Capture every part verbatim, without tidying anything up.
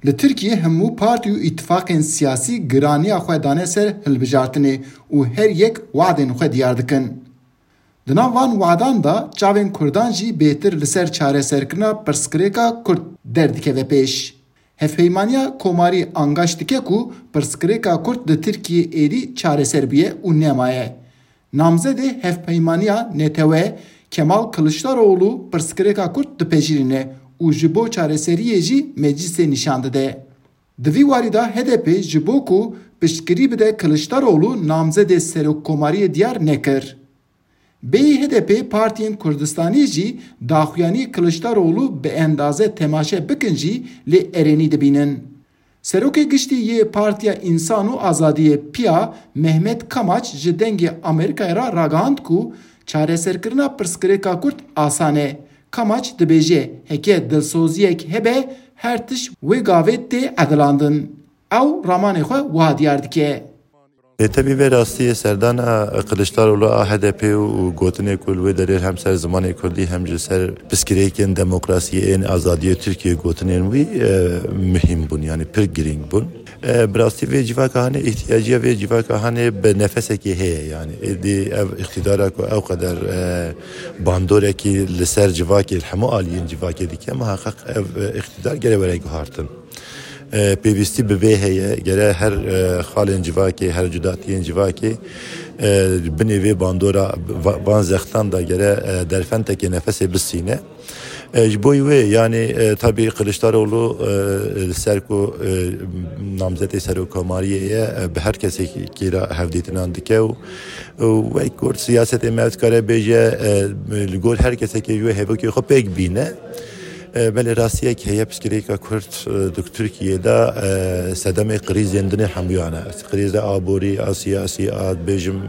Di Tirkiyê hemû partî û îtifaqên siyasî giraniya xwe dane ser hilbijartinê û her yek wadên xwe diyar dikin. Di nav van wadan de çavên Kurdan jî bêtir li ser çareserkirina pirsgirêka Kurd derdikeve pêş. Hevpeymaniya Komarî angaş dike ku pirsgirêka Kurd di Tirkiyê êdî çareser bûye û nemaye. Namzedê Hevpeymaniya Netewe Kemal Kiliçdaroglu pirsgirêka Kurd dipejirîne û ji bo çareseriyê jî meclisê nîşan dide. Di vî warî de H D P ji bo ku piştgirî bide Kiliçdaroglu namzedê serokkomariyê diyar nekir. Bêyî H D P partiyên Kurdistanî jî daxuyanî Kiliçdaroglu bi endaze temaşe bikin jî lê erênî dibînin. Serokê Giştî yê Partiya Însan û Azadiyê P I A Mehmet Kamaç ji Dengê Amerîkayê re ragihand ku çareserkirina pirsgirêka Kurd asan e. Kamaç dibêje, heke dilsoziyek hebe her tişt wê gavê tê edilandin. Ew ramanê xwe wiha diyar dike. Lê tevî vê rastiyê serdana Kiliçdaroglu a H D P û gotinê ku li wê derê hem ser zimanê kurdî hem ji ser piskirêkên demokrasiyê ên azadiyê Tirkiyê gotinên wî e, muhîm bûn, yanî pir girîng bûn. E, bi rastî vê civaka hanê, îhtiyaciya vê civaka hanê bi nefesekê heye, yanî êdî ev îqtîdara ku ew qeder e, bandorekî li ser civakê, li hemû aliyên civakê dike, muheqeq ev e, îqtîdar gere were guhartin. E, pêwîstî bi vê heye, gere her e, xalên civakê, her cudatiyên civakê e, binê vê bandora, va- van zextan de gere e, derfentekê nefesê bistîne. E, ji bo wê, yanî e, tabî Kiliçdaroglu e, li ser ku e, namzetê serokkomariyê ye, e, bi her kesekî re hevdîtinan dike û û wek Kurd siyasetê me dikare bêje e, li gor her kesekê ji wê hevokê xwe pêk bîne. E, belê rastiyek heye, piskirêka Kurd e, di Tirkiyê de e, sedemê krîzên dinê hemûyan e. Krîza aborî, a siyasî, a bêjim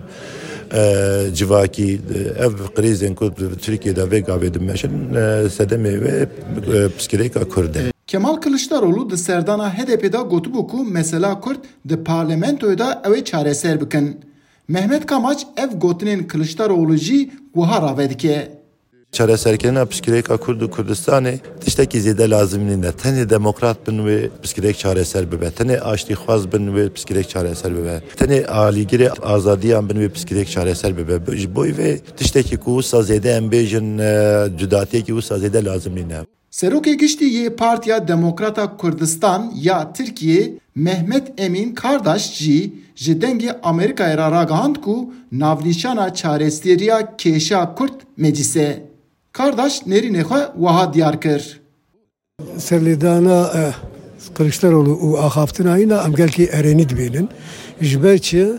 e, civakî, e, ev krîzên ku di Tirkiyê de vê gavê dimeşin, e, sedemê wê e, piskirêka Kurd e. Kemal Kiliçdaroglu di serdana H D P de gotibû ku mesela Kurd di parlamentoyê de ew ê çareser bikin. Mehmet Kamaç ev gotinên Kiliçdaroglu jî wiha rave dike. Çareserkirina piskirêka Kurd û Kurdistanê tiştekî zêde lazim nîne. Tenê demokrat bin wê piskirêk çareser bibe. Tenê aştîxwaz bin wê piskirêk çareser bibe. Tenê alîgirê azadiyan bin wê piskirêk çareser bibe. Ji bo vê tiştekî ku wisa zêde em bêjin e, cudatiyekî wisa zêde lazim nîne. Serokê Giştî yê Partiya Demokrata Kurdistan ya Tirkiyê Mehmet Emîn Kardaş jî ji Dengê Amerîkayê re ragihand ku navnîşana çareseriya kêşa Kurd meclis e. Kardaş nêrînê xwe wiha diyar kir. Serlêdana e, Kiliçdaroglu û axaftina wî ne em gelkî erênî dibînin. Ji ber çi?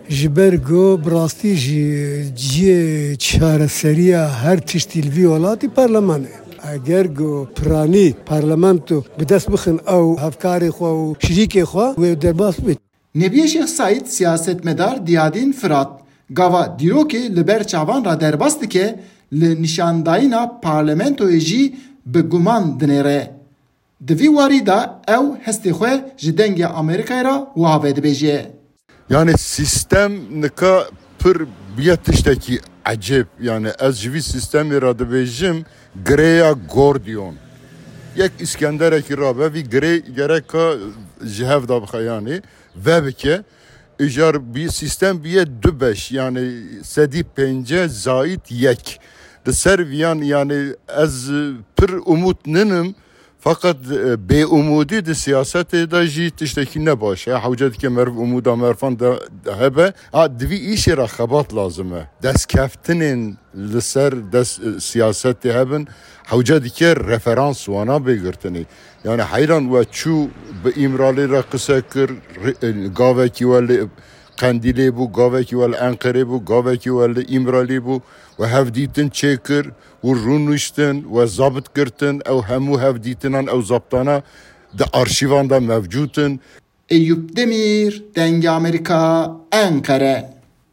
Ji ber ku bi rastî jî cihê çareseriya her tiştî li vî welatî parleman e. Eger ku piranî parlamento bi dest bixin ew hevkarê xwe û şirîkê xwe wê derbas bibit. Nebiye Şêx Seîd siyasetmedar Diyadîn Firat gava dîrokê li ber çavan re derbas dike, li nîşandayîna parlamentoyê jî bi guman dinêre. Di vî warî de ew hestê xwe ji Dengê Amerîkayê re wiha vedibêje. Yanî sîstem nika pir bûye tiştekî ecêb. Yanî ez ji vî sîstemê re dibêjim girêya Gordiyon. Yek Îskenderekî rabe, vî girê gereka ji hev de bixe, yanî vebike. Îcar bî, sîstem bûye du beş, yanî sedî pêncî zayîd yek. Li ser viyan, yanî ez pir umût ninim, feqet e, bêumûdî di siyasetê de jî tiştekî ne baş e. Hewce dike meriv umûda merfan de hebe. A, di vî îşê re xebat lazim e. Destkeftinên li ser des, siyasetê hebin, hewce dike referans wana bê girtinê. Yani heyran we çû bi Îmralî re qise kir, ri- gavekî we li Qendîlê bû, gavekî we li Enqerê bû, gavekî we li Îmralî bû, we hevdîtin çêkir, û rûniştin, we zabt girtin, ew hemû hevdîtinan, ew zaptana di arşîvan de mevcûd in. Eyûp Demîr, Dengê Amerîka, Enqere.